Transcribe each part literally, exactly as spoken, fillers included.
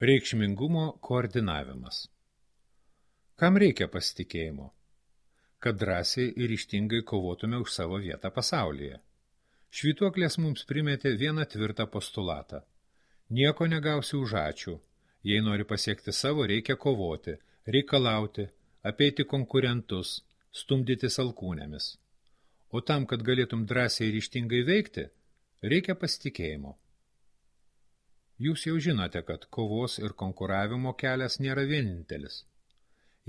Reikšmingumo koordinavimas. Kam reikia pasitikėjimo? Kad drąsiai ir ryžtingai kovotume už savo vietą pasaulyje. Švytuoklės mums primetė vieną tvirtą postulatą. Nieko negausi už ačiū. Jei nori pasiekti savo, reikia kovoti, reikalauti, apeiti konkurentus, stumdytis alkūnėmis. O tam, kad galėtum drąsiai ir ryžtingai veikti, reikia pasitikėjimo. Jūs jau žinote, kad kovos ir konkuravimo kelias nėra vienintelis.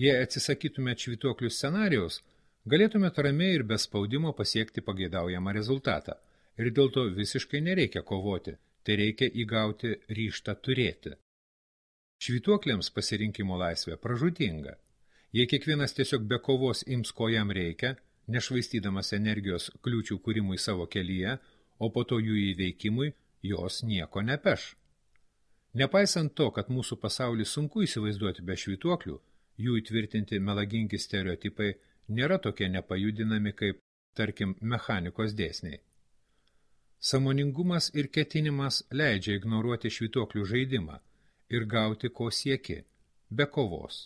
Jei atsisakytumėt švytuoklių scenarijaus, galėtumėt ramiai ir be spaudimo pasiekti pageidaujamą rezultatą. Ir dėl to visiškai nereikia kovoti, tai reikia įgauti ryžtą turėti. Švytuokliams pasirinkimo laisvė pražūtinga. Jei kiekvienas tiesiog be kovos ims, ko jam reikia, nešvaistydamas energijos kliūčių kūrimui savo kelyje, o po to jų įveikimui, jos nieko nepeš. Nepaisant to, kad mūsų pasaulį sunku įsivaizduoti be švytuoklių, jų įtvirtinti melagingi stereotipai nėra tokie nepajudinami kaip, tarkim, mechanikos dėsniai. Sąmoningumas ir ketinimas leidžia ignoruoti švytuoklių žaidimą ir gauti, ko sieki, be kovos.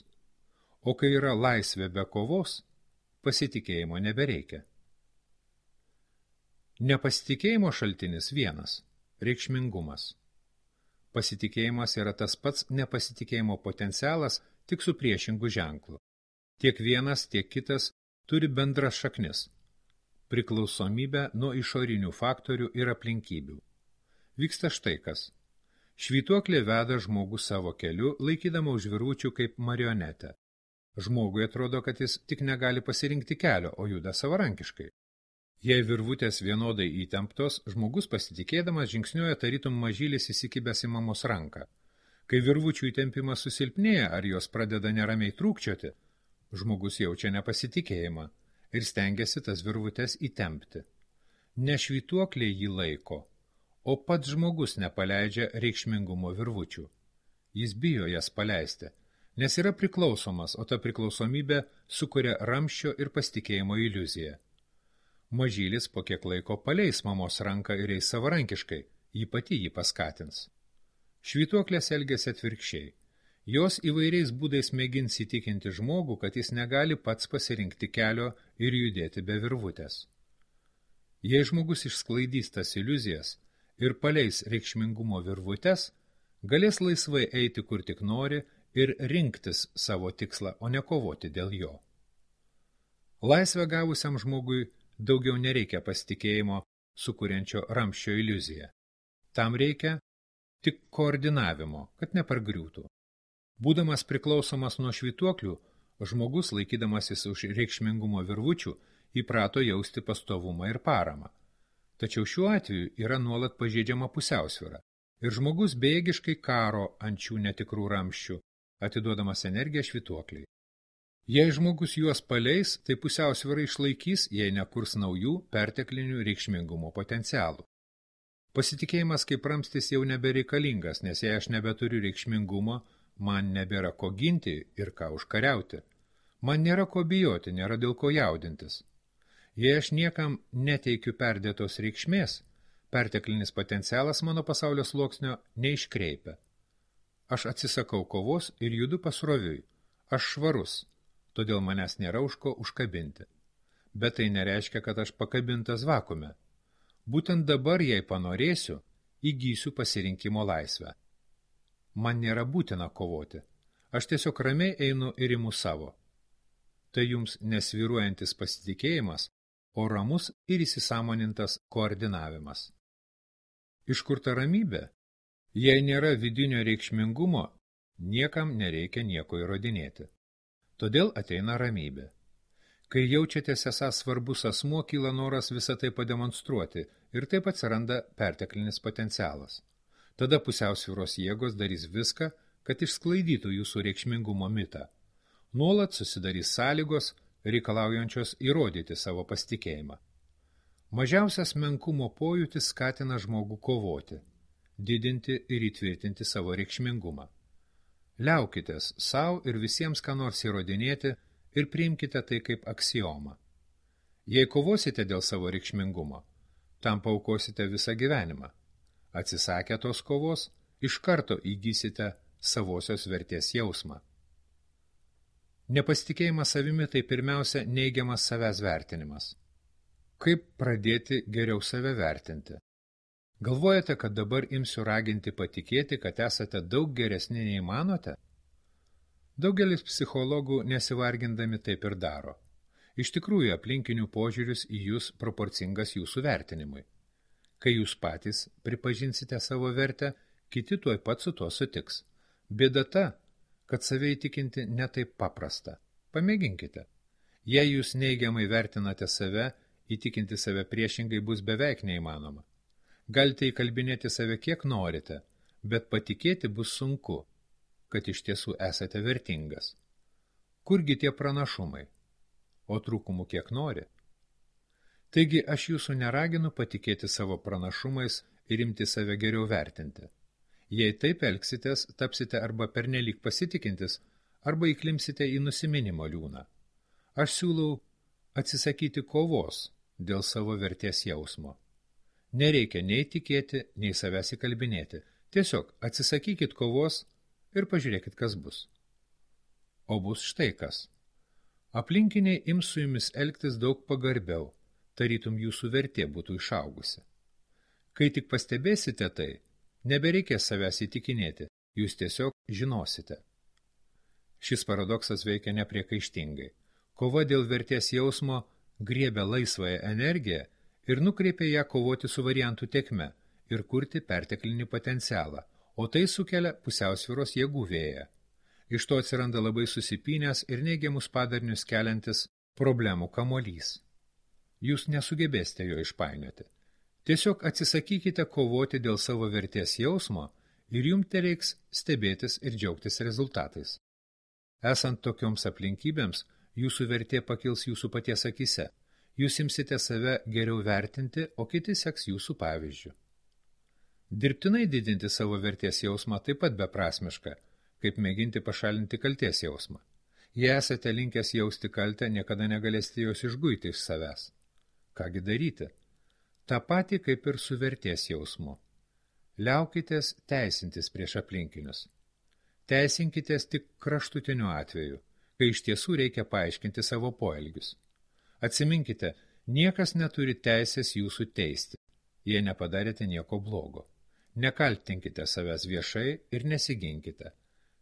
O kai yra laisvė be kovos, pasitikėjimo nebereikia. Nepasitikėjimo šaltinis vienas – reikšmingumas. Pasitikėjimas yra tas pats nepasitikėjimo potencialas, tik su priešingu ženklu. Tiek vienas, tiek kitas turi bendras šaknis – priklausomybę nuo išorinių faktorių ir aplinkybių. Vyksta štai kas. Švytuoklė veda žmogų savo keliu, laikydama už virvučių kaip marionetę. Žmogui atrodo, kad jis tik negali pasirinkti kelio, o juda savarankiškai. Jei virvutės vienodai įtemptos, žmogus pasitikėdamas žingsniuoja tarytum mažylis įsikibęs į mamos ranką. Kai virvučių įtempimas susilpnėja ar jos pradeda neramiai trūkčioti, žmogus jaučia nepasitikėjimą ir stengiasi tas virvutės įtempti. Ne švytuoklė jį laiko, o pats žmogus nepaleidžia reikšmingumo virvučių. Jis bijo jas paleisti, nes yra priklausomas, o ta priklausomybė sukuria ramsčio ir pasitikėjimo iliuziją. Mažylis po kiek laiko paleis mamos ranką ir eis savarankiškai, ji pati jį paskatins. Švytuoklės elgiasi atvirkščiai. Jos įvairiais būdais mėgins įtikinti žmogų, kad jis negali pats pasirinkti kelio ir judėti be virvutės. Jei žmogus išsklaidys tas iliuzijas ir paleis reikšmingumo virvutes, galės laisvai eiti kur tik nori ir rinktis savo tikslą, o ne kovoti dėl jo. Laisvę gavusiam žmogui daugiau nereikia pasitikėjimo sukuriančio ramsčio iliuziją. Tam reikia tik koordinavimo, kad nepargriūtų. Būdamas priklausomas nuo švytuoklių, žmogus, laikydamasis už reikšmingumo virvučių, įprato jausti pastovumą ir paramą. Tačiau šiuo atveju yra nuolat pažeidžiama pusiausvyra ir žmogus bejėgiškai karo ant šių netikrų ramsčių, atiduodamas energiją švytuokliai. Jei žmogus juos paleis, tai pusiausvyrą išlaikys, jei nekurs naujų perteklinių reikšmingumo potencialų. Pasitikėjimas kaip ramstis jau nebereikalingas, nes jei aš nebeturiu reikšmingumo, man nebėra ko ginti ir ką užkariauti. Man nėra ko bijoti, nėra dėl ko jaudintis. Jei aš niekam neteikiu perdėtos reikšmės, perteklinis potencialas mano pasaulio sluoksnio neiškreipia. Aš atsisakau kovos ir judu pasroviui. Aš švarus. Todėl manęs nėra už ko užkabinti. Bet tai nereiškia, kad aš pakabintas vakume. Būtent dabar, jei panorėsiu, įgysiu pasirinkimo laisvę. Man nėra būtina kovoti. Aš tiesiog ramiai einu ir imu savo. Tai jums nesvyruojantis pasitikėjimas, o ramus ir įsisąmonintas koordinavimas. Iš kur ta ramybė? Jei nėra vidinio reikšmingumo, niekam nereikia nieko įrodinėti. Todėl ateina ramybė. Kai jaučiatės esąs svarbus asmuo, kyla noras visą tai pademonstruoti ir taip atsiranda perteklinis potencialas. Tada pusiausvyros jėgos darys viską, kad išsklaidytų jūsų reikšmingumo mitą. Nuolat susidarys sąlygos, reikalaujančios įrodyti savo pasitikėjimą. Mažiausias menkumo pojūtis skatina žmogų kovoti, didinti ir įtvirtinti savo reikšmingumą. Liaukitės savo ir visiems ką nors įrodinėti ir priimkite tai kaip aksiomą. Jei kovosite dėl savo reikšmingumo, tam paaukosite visą gyvenimą. Atsisakę tos kovos, iš karto įgysite savosios vertės jausmą. Nepasitikėjimas savimi tai pirmiausia neigiamas savęs vertinimas. Kaip pradėti geriau save vertinti? Galvojate, kad dabar imsiu raginti patikėti, kad esate daug geresni nei manote? Daugelis psichologų nesivargindami taip ir daro. Iš tikrųjų, aplinkinių požiūris į jūs proporcingas jūsų vertinimui. Kai jūs patys pripažinsite savo vertę, kiti tuoj pat su tuo sutiks. Bėda ta, kad save įtikinti ne taip paprasta. Pamėginkite. Jei jūs neigiamai vertinate save, įtikinti save priešingai bus beveik neįmanoma. Galite įkalbinėti save kiek norite, bet patikėti bus sunku, kad iš tiesų esate vertingas. Kurgi tie pranašumai? O trūkumų kiek nori? Taigi aš jūsų neraginu patikėti savo pranašumais ir imti save geriau vertinti. Jei taip elgsitės, tapsite arba pernelyg pasitikintis, arba įklimsite į nusiminimo liūną. Aš siūlau atsisakyti kovos dėl savo vertės jausmo. Nereikia nei tikėti, nei savęs įkalbinėti. Tiesiog atsisakykit kovos ir pažiūrėkit, kas bus. O bus štai kas. Aplinkiniai ims su jumis elgtis daug pagarbiau, tarytum jūsų vertė būtų išaugusi. Kai tik pastebėsite tai, nebereikės savęs įtikinėti, jūs tiesiog žinosite. Šis paradoksas veikia nepriekaištingai. Kova dėl vertės jausmo griebia laisvąją energiją ir nukreipia ją kovoti su variantų tekme ir kurti perteklinį potencialą, o tai sukelia pusiausvyros jėgų vėją. Iš to atsiranda labai susipynęs ir neigiamus padarinius keliantis problemų kamuolys. Jūs nesugebėsite jo išpainioti. Tiesiog atsisakykite kovoti dėl savo vertės jausmo ir jums tereiks stebėtis ir džiaugtis rezultatais. Esant tokioms aplinkybėms, jūsų vertė pakils jūsų paties akise. Jūs imsite save geriau vertinti, o kiti seks jūsų pavyzdžių. Dirbtinai didinti savo vertės jausmą taip pat beprasmiška, kaip mėginti pašalinti kaltės jausmą. Jei esate linkęs jausti kaltę, niekada negalėsite jos išguiti iš savęs. Kągi daryti? Ta pati kaip ir su vertės jausmu. Liaukitės teisintis prieš aplinkinius. Teisinkitės tik kraštutiniu atveju, kai iš tiesų reikia paaiškinti savo poelgius. Atsiminkite, niekas neturi teisės jūsų teisti, jei nepadarėte nieko blogo. Nekaltinkite savęs viešai ir nesiginkite.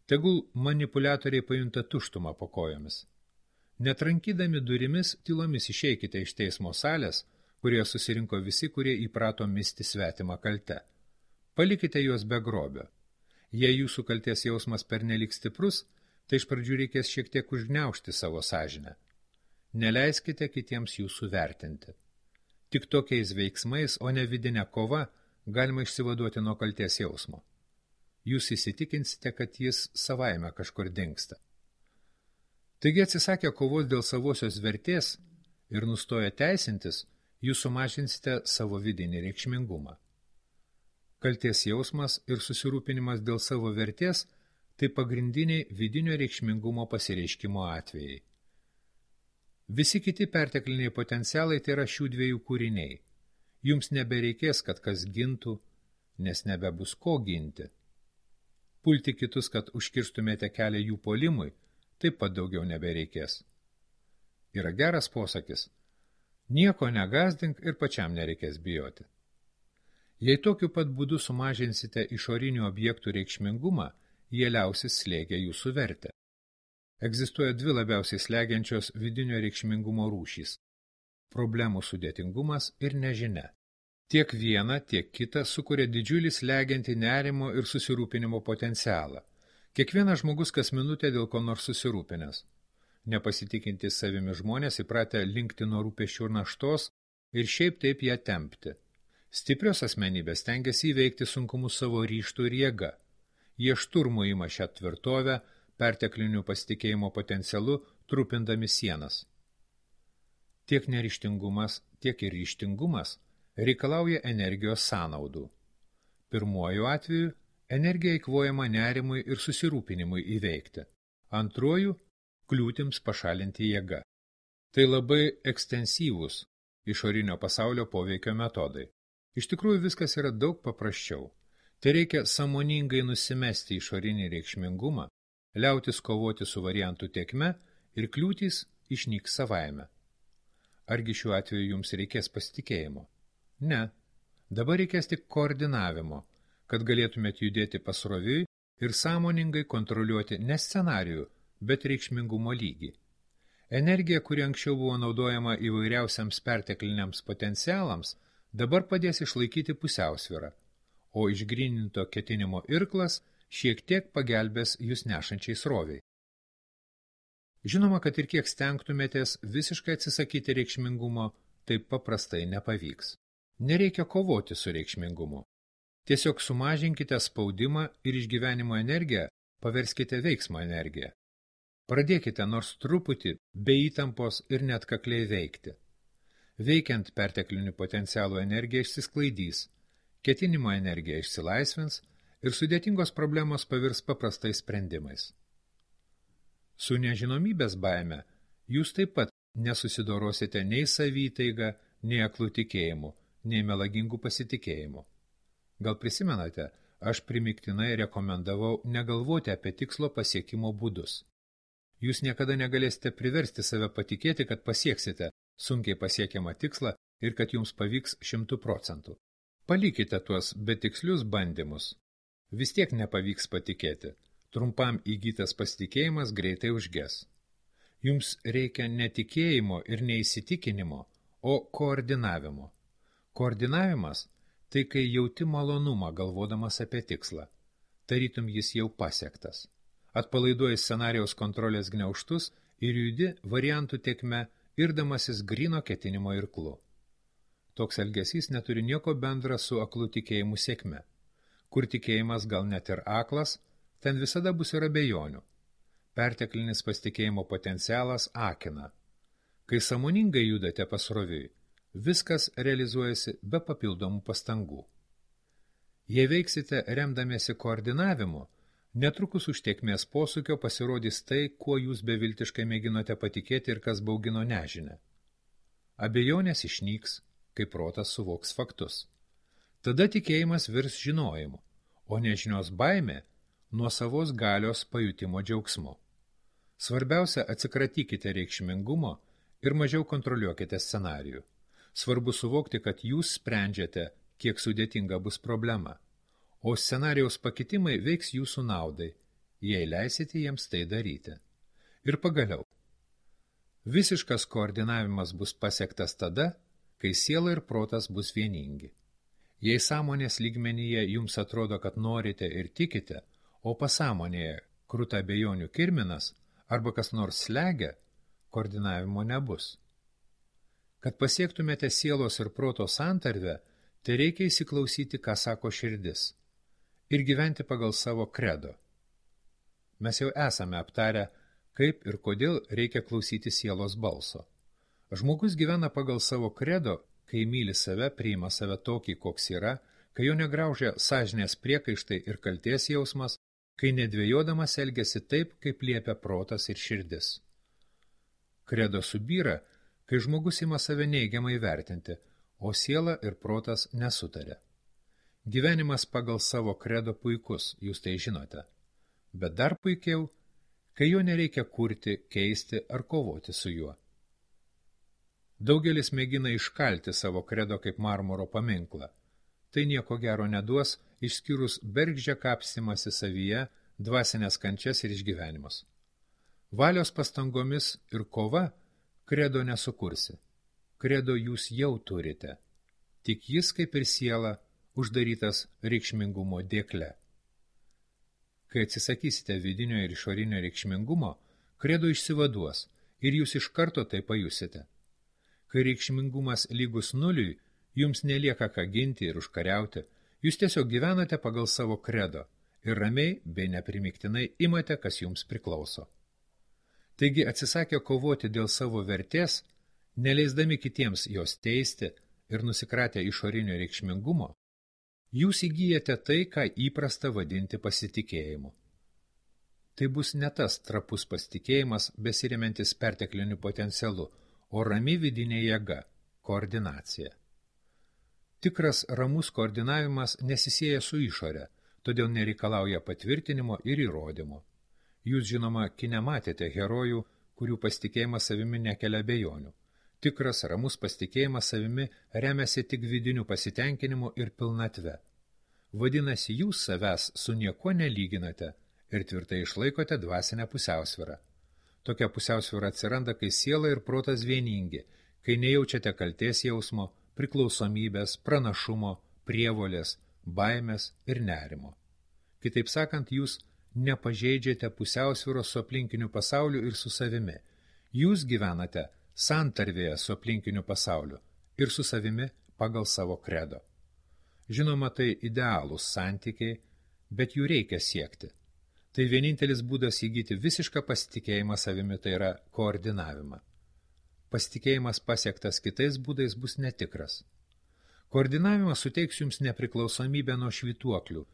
Tegul manipuliatoriai pajunta tuštumą po kojomis. Netrankydami durimis, tylomis išeikite iš teismo salės, kurioje susirinko visi, kurie įprato misti svetimą kaltę. Palikite juos be grobio. Jei jūsų kaltės jausmas pernelyg stiprus, tai iš pradžių reikės šiek tiek užgniaužti savo sąžinę. Neleiskite kitiems jūsų vertinti. Tik tokiais veiksmais, o ne vidinė kova, galima išsivaduoti nuo kaltės jausmo. Jūs įsitikinsite, kad jis savaime kažkur dingsta. Taigi atsisakę kovos dėl savosios vertės ir nustoję teisintis, jūs sumažinsite savo vidinį reikšmingumą. Kaltės jausmas ir susirūpinimas dėl savo vertės – tai pagrindiniai vidinio reikšmingumo pasireiškimo atvejai. Visi kiti pertekliniai potencialai tai yra šių dviejų kūriniai. Jums nebereikės, kad kas gintų, nes nebebus ko ginti. Pulti kitus, kad užkirstumėte kelią jų puolimui, taip pat daugiau nebereikės. Yra geras posakis. Nieko negazdink ir pačiam nereikės bijoti. Jei tokiu pat būdu sumažinsite išorinių objektų reikšmingumą, jie liausis slėgę jūsų vertę. Egzistuoja dvi labiausiai slegiančios vidinio reikšmingumo rūšys – problemų sudėtingumas ir nežinia. Tiek viena, tiek kita sukuria didžiulį slegiantį nerimo ir susirūpinimo potencialą. Kiekvienas žmogus kas minutę dėl ko nors susirūpinęs. Nepasitikintis savimi žmonės įpratę linkti nuo rūpesčių ir naštos ir šiaip taip ją tempti. Stiprios asmenybės stengiasi įveikti sunkumus savo ryžtų ir jėga. Jie šturmu ima šią tvirtovę, perteklinių pasitikėjimo potencialu, trupindami sienas. Tiek neryžtingumas, tiek ir ryžtingumas reikalauja energijos sąnaudų. Pirmuoju atveju energija eikvojama nerimui ir susirūpinimui įveikti. Antruoju – kliūtims pašalinti jėga. Tai labai ekstensyvūs išorinio pasaulio poveikio metodai. Iš tikrųjų viskas yra daug paprasčiau. Tai reikia sąmoningai nusimesti išorinį reikšmingumą, liautis kovoti su variantų tėkme ir kliūtys išnyks savaime. Argi šiuo atveju jums reikės pasitikėjimo? Ne. Dabar reikės tik koordinavimo, kad galėtumėt judėti pasroviui ir sąmoningai kontroliuoti ne scenarijų, bet reikšmingumo lygį. Energija, kuri anksčiau buvo naudojama įvairiausiams pertekliniams potencialams, dabar padės išlaikyti pusiausvyrą, o išgryninto ketinimo irklas šiek tiek pagelbės jūs nešančiai sroviai. Žinoma, kad ir kiek stengtumėtės visiškai atsisakyti reikšmingumo, taip paprastai nepavyks. Nereikia kovoti su reikšmingumu. Tiesiog sumažinkite spaudimą ir išgyvenimo energiją paverskite veiksmo energiją. Pradėkite nors truputį be įtampos ir net kakliai veikti. Veikiant perteklinių potencialų energija išsisklaidys, ketinimo energija išsilaisvins ir sudėtingos problemos pavirs paprastais sprendimais. Su nežinomybės baime jūs taip pat nesusidorosite nei savytaiga, nei aklų tikėjimu, nei melagingų pasitikėjimu. Gal prisimenate, aš primiktinai rekomendavau negalvoti apie tikslo pasiekimo būdus. Jūs niekada negalėsite priversti save patikėti, kad pasieksite sunkiai pasiekiamą tikslą ir kad jums pavyks šimtų procentų. Palikite tuos betikslius bandymus. Vis tiek nepavyks patikėti. Trumpam įgytas pasitikėjimas greitai užges. Jums reikia ne tikėjimo ir neįsitikinimo, o koordinavimo. Koordinavimas – tai kai jauti malonumą galvodamas apie tikslą. Tarytum jis jau pasiektas. Atpalaiduoji scenarijaus kontrolės gniaužtus ir judi variantų tėkme, irdamasis gryno ketinimo irklu. Toks elgesys neturi nieko bendra su aklu tikėjimu sėkme. Kur tikėjimas gal net ir aklas, ten visada bus ir abejonių. Perteklinis pasitikėjimo potencialas akina. Kai sąmoningai judate pasroviui, viskas realizuojasi be papildomų pastangų. Jei veiksite remdamiesi koordinavimu, netrukus už tėkmės posūkio pasirodys tai, kuo jūs beviltiškai mėginote patikėti ir kas baugino nežinę. Abejonės išnyks, kai protas suvoks faktus. Tada tikėjimas virs žinojimu, o nežinios baimė nuo savos galios pajutimo džiaugsmu. Svarbiausia, atsikratykite reikšmingumo ir mažiau kontroliuokite scenarijų. Svarbu suvokti, kad jūs sprendžiate, kiek sudėtinga bus problema, o scenarijaus pakitimai veiks jūsų naudai, jei leisite jiems tai daryti. Ir pagaliau, visiškas koordinavimas bus pasiektas tada, kai siela ir protas bus vieningi. Jei sąmonės lygmenyje jums atrodo, kad norite ir tikite, o pasąmonėje kruta abejonių kirminas arba kas nors slegia, koordinavimo nebus. Kad pasiektumėte sielos ir proto santarvę, tai reikia įsiklausyti, ką sako širdis, ir gyventi pagal savo kredo. Mes jau esame aptarę, kaip ir kodėl reikia klausyti sielos balso. Žmogus gyvena pagal savo kredo, kai myli save, priima save tokį, koks yra, kai jo negraužia sąžinės priekaištai ir kaltės jausmas, kai nedvėjodamas elgiasi taip, kaip liepia protas ir širdis. Kredo subyra, kai žmogus ima save neigiamai vertinti, o siela ir protas nesutaria. Gyvenimas pagal savo kredo puikus, jūs tai žinote. Bet dar puikiau, kai jo nereikia kurti, keisti ar kovoti su juo. Daugelis mėgina iškalti savo kredo kaip marmuro paminklą. Tai nieko gero neduos, išskyrus bergždžią kapstymąsi savyje, dvasinės kančias ir išgyvenimus. Valios pastangomis ir kova kredo nesukursi. Kredo jūs jau turite. Tik jis, kaip ir siela, uždarytas reikšmingumo dėkle. Kai atsisakysite vidinio ir išorinio reikšmingumo, kredo išsivaduos ir jūs iš karto tai pajusite. Kai reikšmingumas lygus nuliui, jums nelieka ką ginti ir užkariauti, jūs tiesiog gyvenate pagal savo kredo ir ramiai bei neprimiktinai imate, kas jums priklauso. Taigi atsisakę kovoti dėl savo vertės, neleisdami kitiems jos teisti ir nusikratę išorinio reikšmingumo, jūs įgyjate tai, ką įprasta vadinti pasitikėjimu. Tai bus ne tas trapus pasitikėjimas, besiremiantis pertekliniu potencialu, o rami vidinė jėga, koordinacija. Tikras ramus koordinavimas nesisieja su išore, todėl nereikalauja patvirtinimo ir įrodymo. Jūs, žinoma, kine matėte herojų, kurių pasitikėjimas savimi nekelia abejonių. Tikras ramus pasitikėjimas savimi remiasi tik vidiniu pasitenkinimu ir pilnatve. Vadinasi, jūs savęs su niekuo nelyginate ir tvirtai išlaikote dvasinę pusiausvyrą. Tokia pusiausvyra atsiranda, kai siela ir protas vieningi, kai nejaučiate kaltės jausmo, priklausomybės, pranašumo, prievolės, baimės ir nerimo. Kitaip sakant, jūs nepažeidžiate pusiausvyros su aplinkiniu pasauliu ir su savimi. Jūs gyvenate santarvėje su aplinkiniu pasauliu ir su savimi pagal savo kredo. Žinoma, tai idealūs santykiai, bet jų reikia siekti. Tai vienintelis būdas įgyti visišką pasitikėjimą savimi, tai yra koordinavimą. Pasitikėjimas pasiektas kitais būdais bus netikras. Koordinavimas suteiks jums nepriklausomybę nuo švytuoklių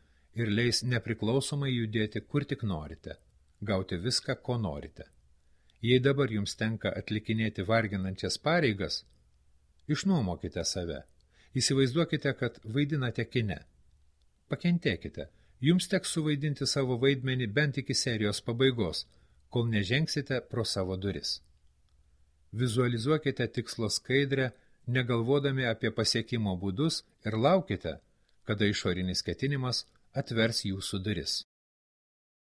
ir leis nepriklausomai judėti kur tik norite, gauti viską, ko norite. Jei dabar jums tenka atlikinėti varginančias pareigas, išnuomokite save. Įsivaizduokite, kad vaidinate kine. Pakentėkite. Jums teks suvaidinti savo vaidmenį bent iki serijos pabaigos, kol nežengsite pro savo duris. Vizualizuokite tikslo skaidrę, negalvodami apie pasiekimo būdus ir laukite, kada išorinis ketinimas atvers jūsų duris.